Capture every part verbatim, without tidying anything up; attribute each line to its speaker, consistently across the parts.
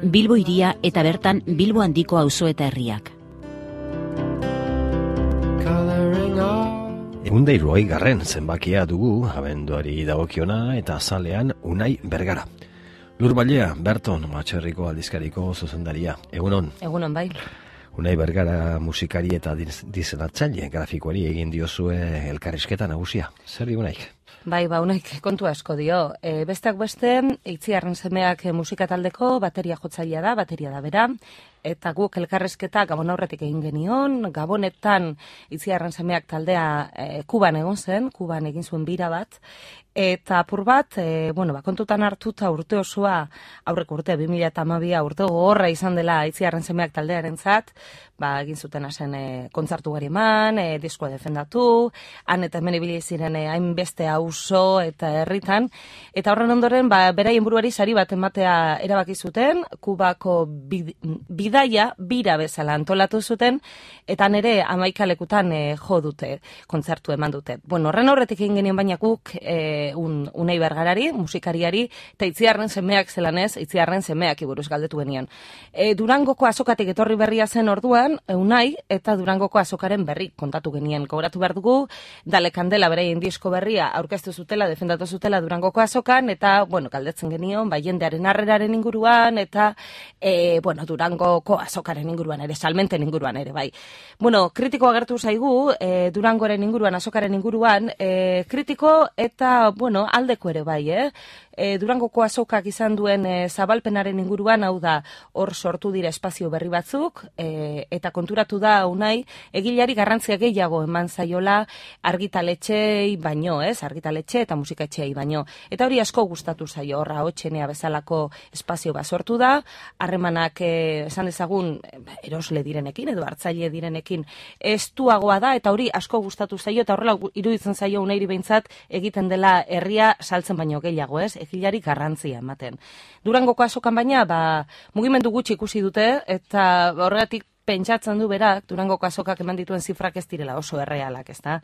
Speaker 1: Bilbo hiria eta bertan Bilbo handiko auzo eta herriak.
Speaker 2: Egun da hirurogei garren zenbakia dugu, abenduari dagokiona eta azalean Unai Bergara. Lur Balea, Berton, Matxerriko aldizkariko zuzendaria. Egunon.
Speaker 3: Egunon, bai.
Speaker 2: Unai Bergara musikari eta dizenatzaile grafikoari egin diozue elkarrizketa nagusia. Zer di Unaik?
Speaker 3: Bai, ba, Unaik kontu asko dio. E, besteak beste, Itziarren semeak musika taldeko bateria jotzailea da, bateria da bera, eta guk elkarrizketa Gabon aurretik egin genion. Gabonetan Itziarren semeak taldea e, Kuban egon zen, Kuban egin zuen bira bat, eta apur bat, e, bueno, ba, kontutan hartuta urte osoa, aurreko urte, bi mila hamabia urte gogorra izan dela Itziarren semeak taldearen zat, ba, egin zuten asen e, kontzartu gari eman, e, diskoa defendatu, han eta hemen ibili ziren e, hainbeste auzo eta herritan, eta horren ondoren, ba, beraien buruari sari bat ematea erabaki zuten, Kubako bid, bidaia, bira bezala antolatu zuten, eta nere hamaika lekutan e, jo dute, kontzartu eman dute. Bueno, horren aurretik egin genien baina guk, e, un, Unai Bergarari, musikariari, eta Itziarren semeak zelanez, Itziarren semeak iburuz galdetu genion. E, Durangoko azokatik etorri berria zen orduan, Unai, eta Durangoko azokaren berri kontatu genien. Gogoratu behar dugu, Dale Kandela beraien disko berria aurkeztu zutela, defendatu zutela Durangoko azokan, eta, bueno, galdetzen genion, bai jendearen harreraren inguruan, eta, e, bueno, Durangoko azokaren inguruan ere, salmenten inguruan ere, bai. Bueno, kritiko agertu zaigu, e, Durangoren inguruan, azokaren inguruan, e, kritiko eta, bueno, aldeko ere bai, eh? E, Durangoko azokak izan duen e, zabalpenaren inguruan, hau da, hor sortu dira espazio berri batzuk, e, eta konturatu da, Unai, egilari garrantzia gehiago eman zaiola argitaletxei baino, ez? Argitaletxe eta musikaetxei baino. Eta hori asko gustatu zaio, horra hotxenea bezalako espazio bat sortu da, harremanak e, esan dezagun erosle direnekin, edo hartzaile direnekin estuagoa da, eta hori asko gustatu zaio, eta horrela iruditzen zaio Unairi behintzat egiten dela herria saltzen baino gehiago, ez? Egilari garrantzia ematen. Durangoko azokan baina, ba, mugimendu gutxi ikusi dute, eta horregatik pentsatzen du berak, Durangoko azokak eman dituen zifrak ez direla oso errealak, ezta?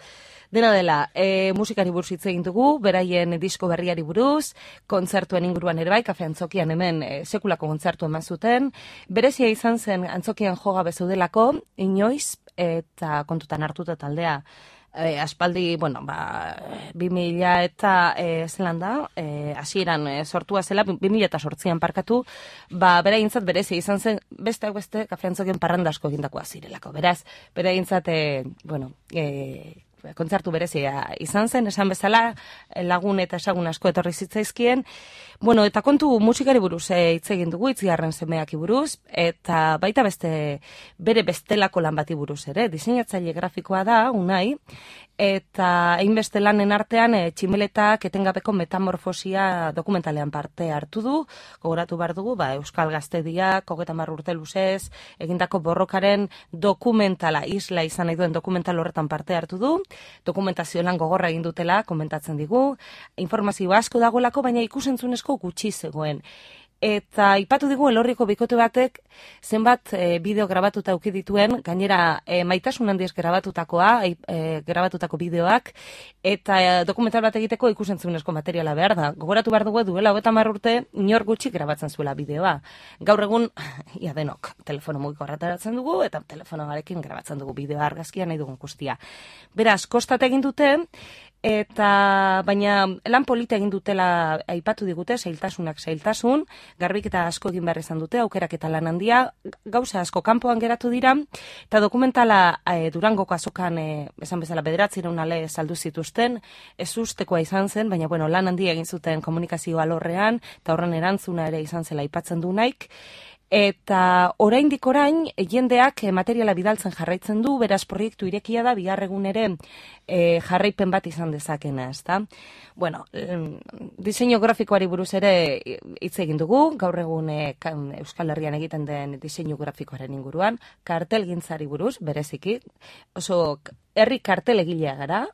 Speaker 3: Dena dela, e, musikari buruz hitz egin dugu, beraien disko berriari buruz, kontzertuen inguruan ere bai, Kafe Antzokian hemen e, sekulako kontzertu eman zuten, berezia izan zen Antzokian joga bezaudelako, inoiz, eta kontutan hartuta taldea, E, aspaldi, bueno, ba, bi mila eta e, zelan da, e, hasieran e, sortua zela, bi mila eta sortzian parkatu, ba, bera gintzat berezia izan zen, beste beste Kafe Antzokien parranda asko egindakoa zirelako. Beraz, bera gintzat, e, bueno, e, kontzertu berezia izan zen, esan bezala, lagun eta esagun asko etorri zitzaizkien. Bueno, eta kontu musikari buruz hitz egin dugu, Itziarren semeak buruz, eta baita beste bere bestelako lan bati buruz ere, diseinatzaile grafikoa da, Unai, eta hainbeste lanen artean e, Tximeletak etengabeko metamorfosia dokumentalean parte hartu du, gogoratu behar dugu, ba, Euskal Gaztediak, hogeita hamar urte luzez, egindako borrokaren dokumentala, isla izan nahi duen dokumental horretan parte hartu du, dokumentazio lan gogorra egin dutela, komentatzen digu, informazio asko dagoelako, baina ikusentzunezko gutxi zegoen. Eta ipatu digu Elorriko bikote batek zenbat e, bideo grabatuta auki dituen, gainera e, maitasun handiez grabatutakoa, e, grabatutako bideoak, eta e, dokumental bat egiteko ikusentzunezko materiala behar da. Gogoratu behar dugu duela hogeita hamar urte inor gutxi grabatzen zuela bideoa. Gaur egun, ia denok, telefono mugiko arrataratzen dugu, eta telefonoarekin grabatzen dugu bideoa argazkia nahi dugun guztia. Beraz, kostat egin dute, eta baina lan polita egin dutela aipatu digute, zailtasunak zailtasun, garbiketa asko egin behar izan dute, aukerak eta lan handia, gauza asko kanpoan geratu dira, eta dokumentala e, Durangoko azokan, e, esan bezala bederatzireun ale saldu zituzten, ez ustekoa izan zen, baina bueno, lan handia egin zuten komunikazio alorrean, eta horren erantzuna ere izan zela aipatzen du Naik, eta oraindik orain jendeak materiala bidaltzen jarraitzen du, beraz proiektu irekia da, bihar egun ere e, jarraipen bat izan dezakena, ezta? Bueno, diseinu grafikoari buruz ere hitz egin dugu, gaur egun e, Euskal Herrian egiten den diseinu grafikoaren inguruan, kartelgintzari buruz, bereziki, oso herri kartel egilea gara,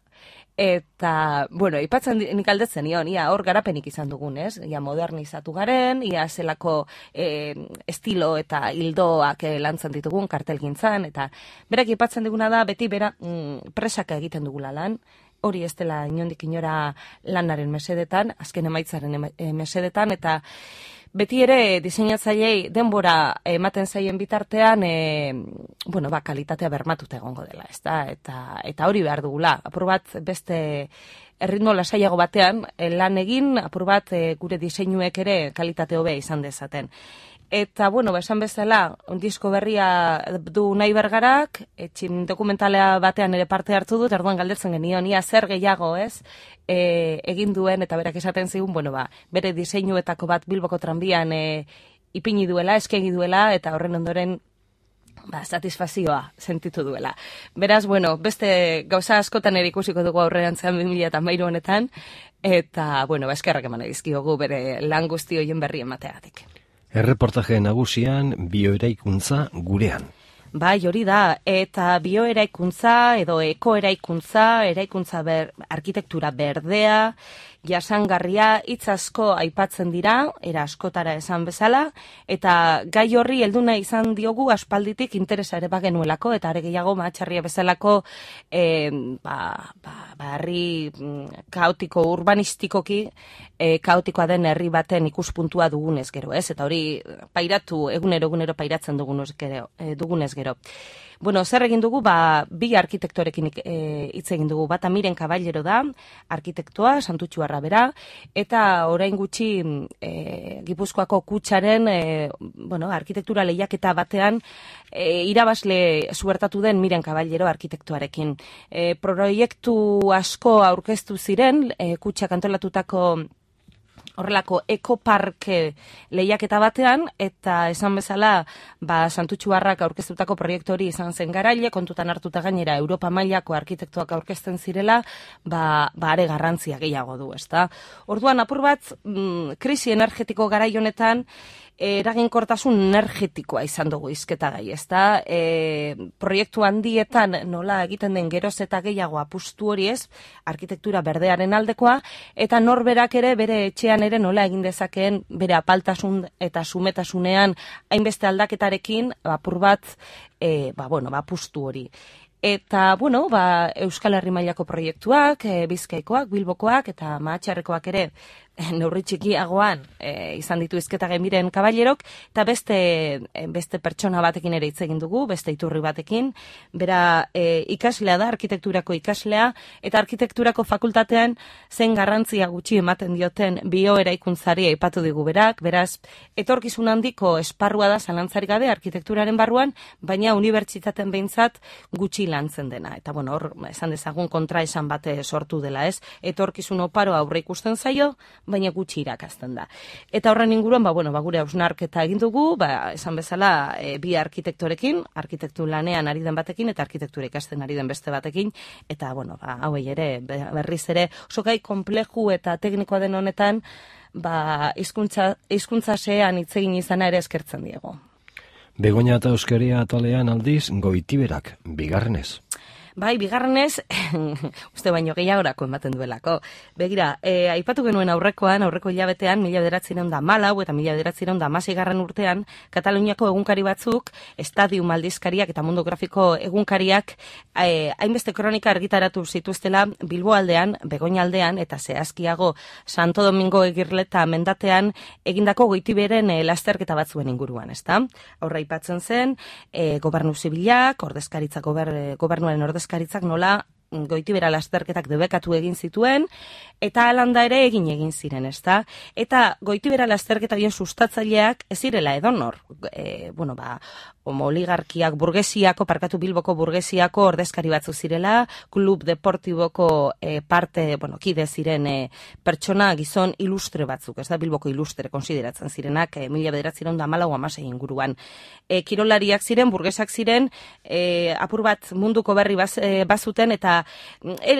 Speaker 3: eta, bueno, ipatzen nik aldetzen nion, ia hor garapenik izan dugun, ez? Ia modernizatu garen, ia zelako e, estilo eta hildoak e, lantzen ditugun kartelgintzan, eta berak ipatzen diguna da, beti bera mm, presaka egiten dugula lan, hori ez dela inondik inora lanaren mesedetan, azken emaitzaren eme, e, mesedetan, eta beti ere diseinatzailei denbora ematen zaien bitartean, e, bueno, ba, kalitatea bermatuta egongo dela, ezta? Eta, eta hori behar dugula. Apur bat beste erritmo lasaiago batean, lan egin, apur bat gure diseinuek ere kalitate hobea izan dezaten. Eta, bueno, esan bezala, disko berria du Unai Bergarak, etxin dokumentalea batean ere parte hartu dut, erduan galdetzen genion, ia zer gehiago, ez, e, egin duen, eta berak esaten zigun, bueno, ba, bere diseinuetako bat Bilboko tranbian e, ipini duela, eskegi duela, eta horren ondoren, ba, satisfazioa sentitu duela. Beraz, bueno, beste gauza askotan ere ikusiko dugu aurrerantzean bi mila hamairu honetan, eta, bueno, ba, eskerrak eman edizkiogu bere lan guzti horien berri emateagatik.
Speaker 2: Erreportaje nagusian bioeraikuntza gurean.
Speaker 3: Bai, hori da, eta bioeraikuntza edo ekoeraikuntza, eraikuntza ber, arkitektura berdea, jasangarria, hitz asko aipatzen dira, era askotara esan bezala, eta gai horri helduna izan diogu aspalditik interesa ere bagenuelako, eta are gehiago matxarria bezalako e, ba, ba, ba, herri kaotiko, urbanistikoki e, kaotikoa den herri baten ikuspuntua dugunez gero, ez? Eta hori pairatu, egunero egunero pairatzen dugunez gero, e, dugunez gero. Bueno, zer egin dugu, ba, bi arkitektorekin hitz e, egin dugu, bata Miren Caballero da, arkitektoa, Santutxuarra bera, eta orain gutxi e, Gipuzkoako Kutxaren e, bueno, arkitektura lehiaketa batean e, irabazle zuertatu den Miren Caballero arkitektoarekin. E, proiektu asko aurkeztu ziren, e, Kutxak antolatutako horrelako ekoparke lehiaketa batean, eta esan bezala, ba, Santutxuarrak aurkeztutako proiektu hori izan zen garaile, kontutan hartuta gainera Europa mailako arkitektoak aurkezten zirela, ba, ba are garrantzia gehiago du, ezta? Orduan, apur bat, mm, krisi energetiko garai honetan, eraginkortasun energetikoa izan dugu izketa gai, ezta? E, proiektu handietan nola egiten den geroz eta gehiago apustu hori ez, arkitektura berdearen aldekoa, eta norberak ere bere etxean ere nola egin dezakeen bere apaltasun eta sumetasunean hainbeste aldaketarekin apur bat, e, ba, bueno, ba, apustu hori. Eta, bueno, ba, Euskal Herri mailako proiektuak, e, Bizkaikoak, Bilbokoak eta Mahatxarrekoak ere neurri txikiagoan e, izan ditu hizketa Miren Caballerok, eta beste, beste pertsona batekin ere hitz egin dugu, beste iturri batekin, bera e, ikaslea da, arkitekturako ikaslea, eta arkitekturako fakultatean zen garrantzia gutxi ematen dioten bioeraikuntzari aipatu digu berak, beraz, etorkizun handiko esparrua da zalantzarik gabe arkitekturaren barruan, baina unibertsitaten behintzat gutxi lantzen dena. Eta, bueno, hor, esan dezagun kontra esan bate sortu dela, ez? Etorkizun oparo aurre ikusten zaio, baina gutxi irakazten da. Eta horren inguruan, ba, bueno, ba, gure hausnarketa egin dugu, ba, esan bezala e, bi arkitektorekin, arkitektu lanean ari den batekin, eta arkitektura ikasten ari den beste batekin, eta, bueno, ba, hauei ere, berriz ere, oso gai kompleju eta teknikoa den honetan, ba, hizkuntza hizkuntza sean hitz egin izana ere eskertzen diego.
Speaker 2: Begoña eta Euskeria atalean aldiz, Goitiberak, bigarrenez.
Speaker 3: Bai, bigarrenez, uste baino gehiagorako ematen duelako. Begira, e, aipatu genuen aurrekoan, aurreko hilabetean, mila bederatziehun eta hamalau eta mila bederatziehun eta hamaseigarren urtean, Kataluniako egunkari batzuk, Estadium aldizkariak eta Mundo Grafiko egunkariak, e, hainbeste kronika argitaratu zituztela Bilbo aldean, Begoña aldean, eta zehazkiago Santo Domingo Egirleta mendatean, egindako Goitiberen e, lasterketa batzuen inguruan, ezta? Aurra aipatzen zen, e, gobernu zibilak, ordezkaritza gober, gobernuaren ordezkaritza, Karitzak nola Goitibera lasterketak debekatu egin zituen, eta alanda ere egin egin ziren, ezta? Eta Goitibera lasterketa bien sustatzaileak ez zirela edonor. E, bueno, ba, oligarkiak burgesiako, parkatu Bilboko burgesiako ordezkari batzu zirela, klub deportiboko e, parte, bueno, kide ziren e, pertsona gizon ilustre batzuk, ez da Bilboko ilustre konsideratzen zirenak, e, mila bederatziehun eta hamalau hamasei inguruan. E, kirolariak ziren, burgesak ziren, e, apur bat munduko berri baz, e, bazuten, eta e,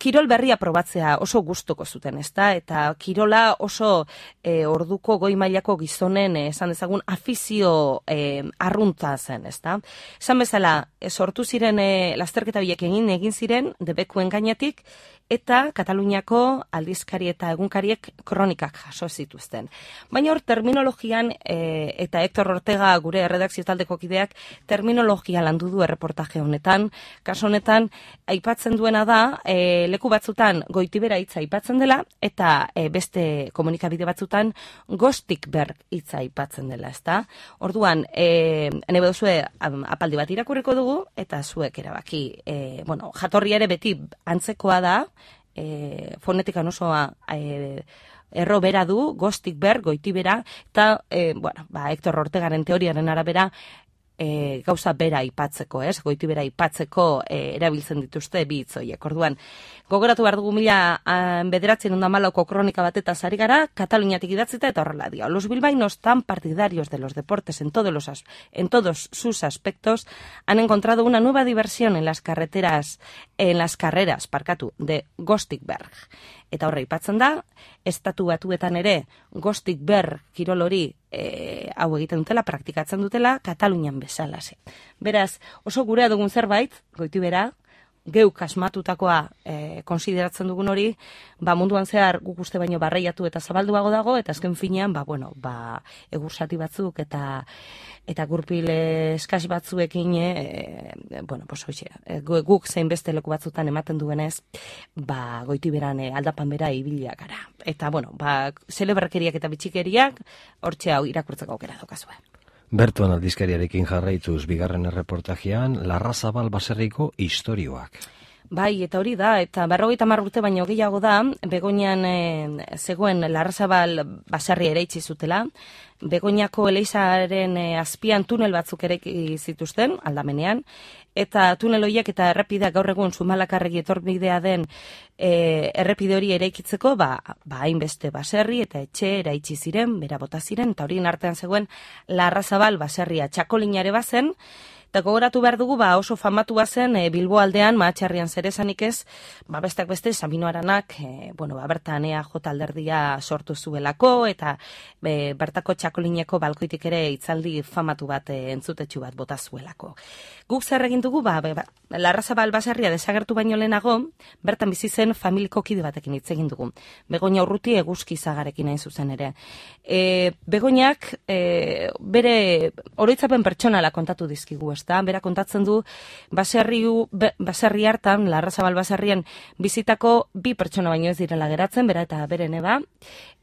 Speaker 3: kirol berria probatzea oso gustuko zuten, ezta? Eta kirola oso e, orduko goi mailako gizonen, e, esan dezagun, afizio e, arrunt zen, ezta? Esan bezala, sortu ziren e, lasterketa biek egin egin ziren debekuen gainetik, eta Kataluniako aldizkari eta egunkariek kronikak jaso zituzten. Baina hor terminologian, e, eta Hector Ortega gure erredakzio taldeko kideak terminologia landu du erreportaje honetan, kaso honetan, aipatzen aipatzen duena da, e, leku batzutan Goitibera hitza aipatzen dela, eta e, beste komunikabide batzutan Gostikberg hitza aipatzen dela, ezta? Orduan, e, nebe duzue apaldi bat irakurriko dugu, eta zuek erabaki, e, bueno, jatorria ere beti antzekoa da, e, fonetikan osoa e, erro bera du, Gostikberg, Goitibera, eta, e, bueno, ba, Hector Ortegaren teoriaren arabera, E, gauza bera aipatzeko, ez? Goitibera aipatzeko e, erabiltzen dituzte bi hitzoiek. Orduan, gogoratu behar dugu mila bederatzen onda malauko kronika bateta zari gara, Kataluniatik idatzita eta horrela dio. Los bilbaínos tan partidarios de los deportes en todos, los as en todos sus aspectos han encontrado una nueva diversión en las carreteras, en las carreras, parkatu, de Gostikberg. Eta horre aipatzen da, estatu batuetan ere Gostikberg kirol hori e, hau egiten dutela, praktikatzen dutela, Katalunian bezalaze. Beraz, oso gurea dugun zerbait, Goitibera, geuk asmatutakoa e, konsideratzen dugun hori, ba munduan zehar guk uste baino barreiatu eta zabalduago dago, eta azken finean, ba, bueno, ba, egursati batzuk eta eta gurpil eskas batzuekin, e, bueno, pues hoxe, e, guk zein beste leku batzutan ematen duenez, ba, Goitiberan e, aldapan bera ibiliak gara. Eta, bueno, ba, zelebrakeriak eta bitxikeriak, hortxe hau irakurtzeko aukera daukazue.
Speaker 2: Berton aldizkariarekin jarraituz bigarren erreportajean, Larrazabal baserriko istorioak.
Speaker 3: Bai, eta hori da, eta berrogeita hamar urte baino gehiago da, Begoñan e, zegoen Larrazabal baserria ere itxi zutela, Begoñako eleizaren e, azpian tunel batzuk ere zituzten, aldamenean, eta tunel horiek eta errepidea gaur egun Zumalakarregi etorbidea den e, errepide hori eraikitzeko, ba, ba hainbeste baserri eta etxe eraitsi ziren, bera bota ziren, eta horien artean zegoen Larrazabal baserria txakolinare bazen, eta gogoratu behar dugu, ba, oso famatu bazen e, Bilbo aldean, mahatxarrian zerezanik ez, ba, besteak beste, Sabino Aranak, e, bueno, ba, bertan ea jota alderdia sortu zuelako, eta e, bertako txakolineko balkoitik ere itzaldi famatu bat, e, entzutetxu bat bota zuelako. Guk zer egin dugu, ba, ba, Larrazabal baserria desagertu baino lehenago, bertan bizi zen familiko kide batekin hitz egin dugu. Begoña Urruti Eguzki Zagarekin hain zuzen ere. E, Begoñak e, bere oroitzapen pertsonala kontatu dizkigu, ezta? Bera kontatzen du baserri, be, baserri hartan, Larrazabal baserrian bizitako bi pertsona baino ez direla geratzen, bera eta bere neba,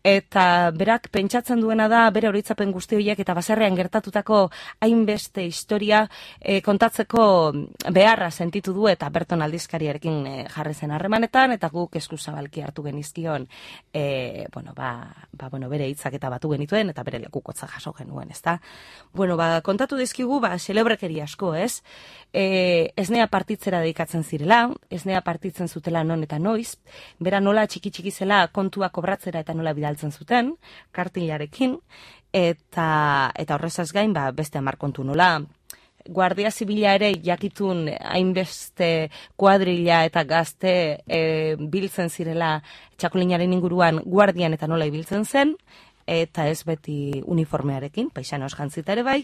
Speaker 3: eta berak pentsatzen duena da bere oroitzapen guzti horiek eta baserrian gertatutako hainbeste historia e, kontatzeko beharra sentitu du, eta Berton aldizkariarekin e, jarri zen harremanetan, eta guk eskuzabalki hartu genizkion e, bueno, ba, ba, bueno, bere hitzak eta batu genituen, eta bere lekukotza jaso genuen, ezta? Bueno, ba, kontatu dizkigu, ba, celebrekeri asko, ez? E, esnea partitzera dedikatzen zirela, esnea partitzen zutela non eta noiz, bera nola txiki-txiki zela kontua kobratzera eta nola bidaltzen zuten, kartilarekin, eta, eta horrezaz gain, ba, beste hamar kontu nola, Guardia Zibila ere jakitun hainbeste kuadrilla eta gazte e, biltzen zirela txakolinaren inguruan guardian eta nola ibiltzen zen, eta ez beti uniformearekin, paisanoz jantzita ere bai,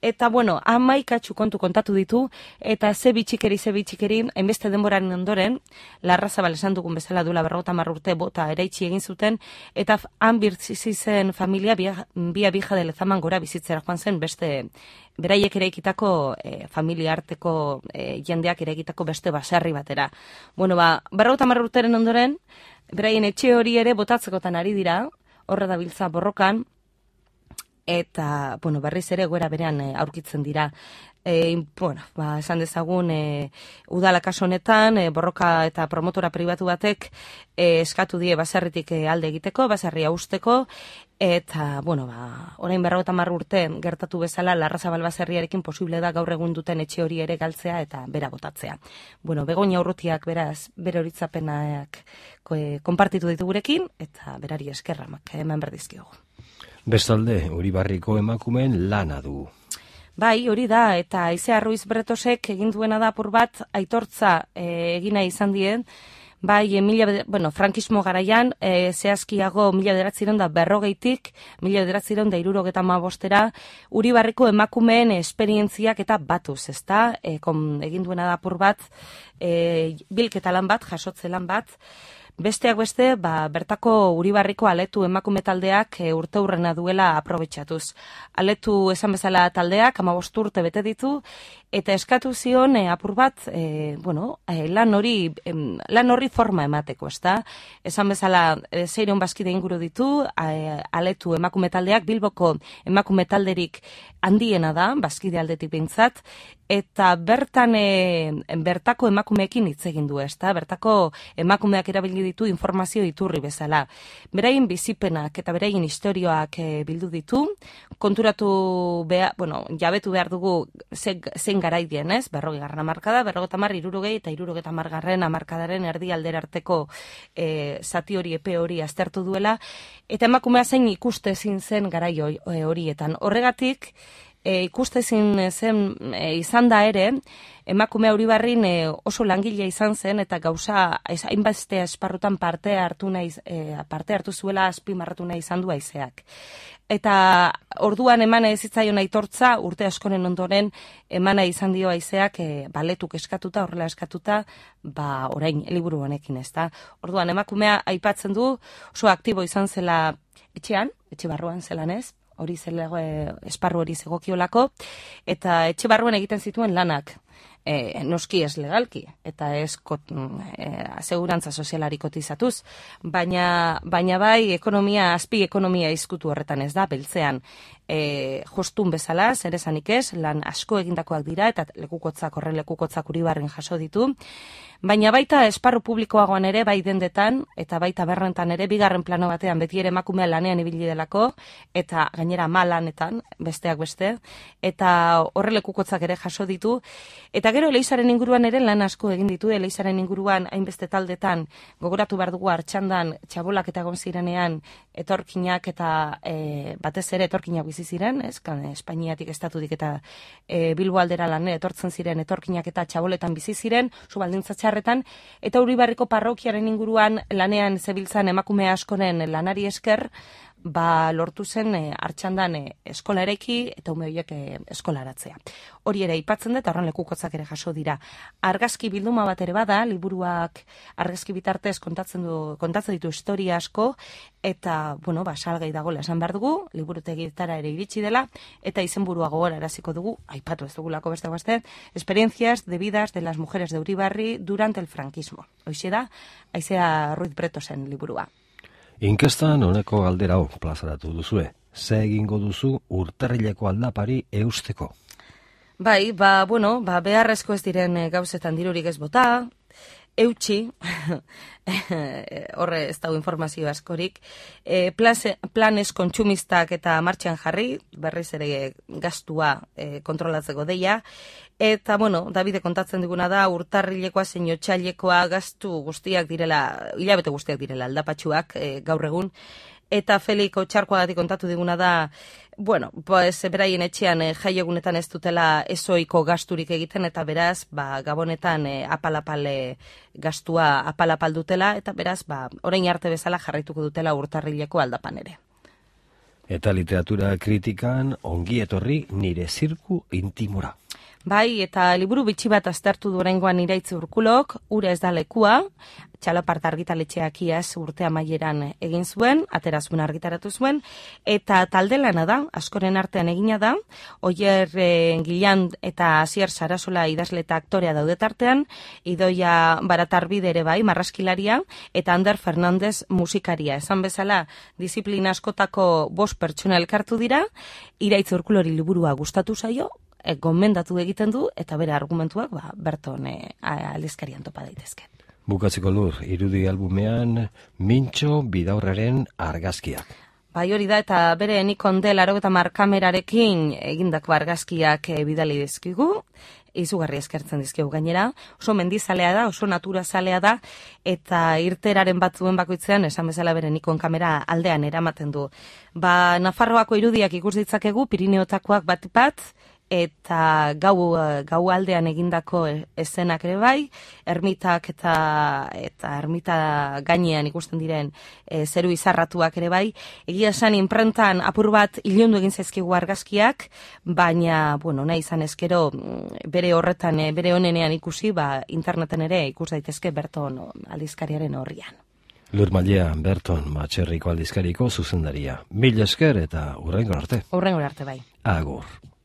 Speaker 3: eta bueno, hamaikatxu kontu kontatu ditu, eta ze bitxikeri, ze bitxikeri, hainbeste denboraren ondoren, Larrazabal esan dugun bezala duela berrogota hamar urte bota eraitsi egin zuten, eta han birtzizi zen familia bia, bia bija de Lezaman gora bizitzera joan zen beste, beraiek eraikitako e, familia arteko e, jendeak eraikitako beste baserri batera. Bueno, ba, berrogota hamar urteren ondoren, beraien etxe hori ere botatzekotan ari dira, horra dabiltza borrokan, eta, bueno, berriz ere goera berean e, aurkitzen dira. E, bueno, ba, esan dezagun, e, udala kaso honetan, e, borroka eta promotora pribatu batek e, eskatu die baserritik e, alde egiteko, baserria usteko, eta, bueno, ba, orain berrogota hamar urte gertatu bezala Larrazabal baserriarekin posible da gaur egun duten etxe hori ere galtzea eta bera botatzea. Bueno, Begoña Urrutiak beraz, bere horitzapenak konpartitu ditu gurekin, eta berari eskerramak eman berdizkiogu.
Speaker 2: Bestalde, Uribarriko emakumeen lana du.
Speaker 3: Bai, hori da, eta Aizea Ruiz Bretosek egin duena da apur bat aitortza e, egina izan dien, bai, e, mila, bueno, frankismo garaian, e, zehazkiago mila bederatziron da berrogeitik, mila bederatziron da irurogeta mabostera, Uribarriko emakumeen esperientziak eta batuz, ezta? E, kom, egin duena da apur bat, e, bilketa lan bat, jasotze lan bat, besteak beste, ba, bertako Uribarriko Aletu emakume taldeak e, urte hurrena duela aprobetxatuz. Aletu esan bezala taldeak, hamabost urte bete ditu, eta eskatu zion e, apur bat, e, bueno, e, lan hori em, lan horri forma emateko, ezta? Esan bezala, e, seiehun bazkide inguru ditu, e, aletu emakume taldeak, Bilboko emakume talderik handiena da, bazkide aldetik behintzat, eta bertan e, bertako emakumeekin hitz egin du, ezta? Bertako emakumeak erabili ditu informazio iturri bezala. Beraien bizipenak eta beraien istorioak e, bildu ditu, konturatu behar, bueno, jabetu behar dugu zein garaidien, ez? Berrogei garren hamarkada, berrogeita hamar, hirurogei eta hirurogeita hamar garren hamarkadaren erdi aldera arteko e, zati hori, epe hori aztertu duela, eta emakumea zein ikuste ezin zen garai horietan. Horregatik, E, ikustezin zen e, izan da ere, emakume Uribarrin e, oso langile izan zen eta gauza hainbeste esparrutan parte hartu nahi, e, parte hartu zuela azpimarratu nahi izan du haizeak. Eta orduan emana ezitzaion aitortza, urte askoren ondoren emana izan dio haizeak e, baletuk eskatuta, horrela eskatuta, ba orain liburu honekin, ezta. Orduan emakumea aipatzen du, oso aktibo izan zela etxean, etxe barruan zelan ez, hori zelego, e, esparru hori zegokiolako, eta etxe barruan egiten zituen lanak, e, noski ez legalki, eta ez kot, e, asegurantza sozialari kotizatuz, baina, baina bai ekonomia, azpi ekonomia izkutu horretan ez da, beltzean, e, jostun bezala, zer esanik ez, lan asko egindakoak dira, eta lekukotzak, horren lekukotzak Uribarren jaso ditu, baina baita esparru publikoagoan ere, bai dendetan, eta baita berrentan ere, bigarren plano batean, beti ere emakumea lanean ibili delako, eta gainera malanetan, besteak beste, eta horrelekukotzak ere jaso ditu, eta gero Eleizaren inguruan ere lan asko egin ditu, Eleizaren inguruan hainbeste taldetan, gogoratu behar dugu Artxandan, txabolak eta egon zirenean, etorkinak eta e, batez ere etorkinak bizi ziren, ez, kan, Espainiatik estatudik eta e, Bilbo aldera lan etortzen ziren etorkinak eta txaboletan bizi ziren, zu baldintza txarretan, eta Uribarriko parrokiaren inguruan lanean zebiltzan emakume askoren lanari esker, ba lortu zen e, Artxandan e, eskola eraiki eta ume horiek e, eskolaratzea. Hori ere aipatzen da eta horren lekukotzak ere jaso dira. Argazki bilduma bat ere bada, liburuak argazki bitartez kontatzen du kontatzen ditu historia asko eta bueno, ba salgai dagoela esan behar dugu, liburutegietara ere iritsi dela eta izenburua gogoraraziko dugu, aipatu ez dugulako beste beste, experiencias de vidas de las mujeres de Uribarri durante el franquismo. Hoxe da, Aizea Ruiz Bretosen liburua.
Speaker 2: Inkestan honeko galdera hau plazaratu duzue. Ze egingo duzu urtarrileko aldapari eusteko?
Speaker 3: Bai, ba, bueno, ba, beharrezko ez diren gauzetan dirurik ez bota, eutxi, horre ez dago informazio askorik, e, plase, planes kontsumistak eta martxan jarri, berriz ere gastua e, kontrolatzeko deia, eta, bueno, Davide kontatzen diguna da, urtarrilekoa zein otsailekoa gastu guztiak direla, hilabete guztiak direla aldapatxuak e, gaur egun, eta Feliko txarkoagatik kontatu diguna da, bueno, pues, beraien etxean e, jaiegunetan ez dutela ezoiko gasturik egiten, eta beraz, ba, gabonetan e, apalapal e, gastua apalapal dutela, eta beraz, ba, orain arte bezala jarraituko dutela urtarrileko aldapan ere.
Speaker 2: Eta literatura kritikan ongi etorri nire zirku intimora.
Speaker 3: Bai, eta liburu bitxi bat aztertu du oraingoan Iraitz Urkulok, Ura ez da lekua, Txalopart argitaletxeak iaz urte amaieran egin zuen, aterazun argitaratu zuen, eta talde lana da, askoren artean egina da, Oier e, Gilan eta Asier Sarasola idazle eta aktorea daude tartean, Idoia Baratarbide ere bai, marraskilaria, eta Ander Fernandez musikaria. Esan bezala, disiplina askotako bost pertsona elkartu dira, Iraitz Urkulori liburua gustatu zaio, E, gomendatu egiten du, eta bere argumentuak ba, berton e, aldizkarian topa daitezke.
Speaker 2: Bukatzeko lur, irudi albumean Mintxo Bidaurraren argazkiak.
Speaker 3: Bai hori da, eta bere Nikon D laurogeita hamar kamerarekin egindako argazkiak e, bidali dizkigu, izugarri eskertzen dizkigu gainera, oso mendizalea da, oso naturazalea da, eta irteraren batzuen bakoitzean, esan bezala bere Nikon kamera aldean eramaten du. Ba, Nafarroako irudiak ikus ditzakegu, Pirineotakoak bat bat, eta gau, gau aldean egindako eszenak ere bai, ermitak eta eta ermita gainean ikusten diren e, zeru izarratuak ere bai. Egia esan inprentan apur bat ilundu egin zaizkigu argazkiak, baina, bueno, nahi izan ezkero bere horretan, bere onenean ikusi, ba, interneten ere ikus daitezke Berton aldizkariaren horrian.
Speaker 2: Lur Mailea, Berton Matxerriko aldizkariko zuzendaria. Mil esker eta hurrengo arte.
Speaker 3: Hurrengo arte bai.
Speaker 2: Agur.